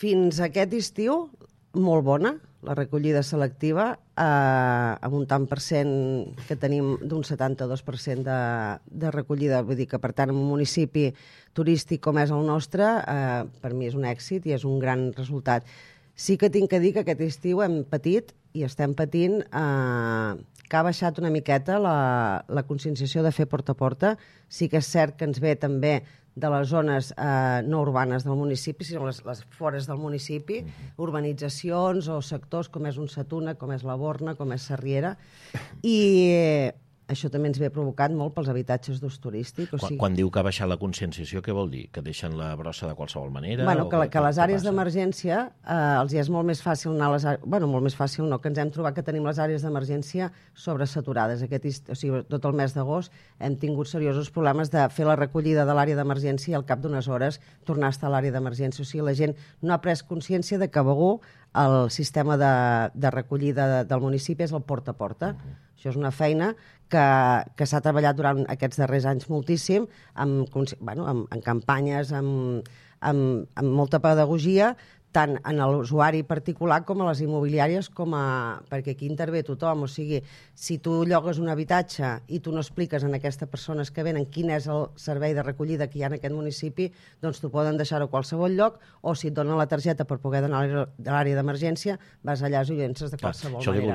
Fins aquest estiu, molt bona, la recollida selectiva, amb un tant per cent que tenim d'un 72% de recollida. Vull dir que, per tant, en un municipi turístic com és el nostre, per mi és un èxit i és un gran resultat. Sí que tinc que dir que aquest estiu hem patit i estem patint que ha baixat una miqueta la conscienciació de fer porta a porta. Sí que és cert que ens ve també de les zones no urbanes del municipi, sinó les fores del municipi, urbanitzacions o sectors com és un Sa Tuna, com és la Borna, com és Sarriera, i això també ens ve provocat molt pels habitatges d'ús turístic. Quan diu que ha baixat la conscienciació, què vol dir? Que deixen la brossa de qualsevol manera? Bueno, que les àrees d'emergència els és molt més fàcil anar a les àrees... Bueno, molt més fàcil no, que ens hem trobat que tenim les àrees d'emergència sobresaturades. O sigui, tot el mes d'agost hem tingut seriosos problemes de fer la recollida de l'àrea d'emergència i al cap d'unes hores tornar a estar a l'àrea d'emergència. O sigui, la gent no ha pres consciència de que Begur el sistema de recollida del municipi és el porta a porta. Això és una feina que s'ha treballat durant aquests darrers anys moltíssim, en campanyes, amb molta pedagogia, tant en l'usuari particular com a les immobiliàries, perquè aquí intervé tothom. O sigui, si tu llogues un habitatge i tu no expliques a aquestes persones que venen quin és el servei de recollida que hi ha en aquest municipi, doncs t'ho poden deixar a qualsevol lloc, o si et donen la targeta per poder anar a l'àrea d'emergència, vas allà i ho llences de qualsevol manera.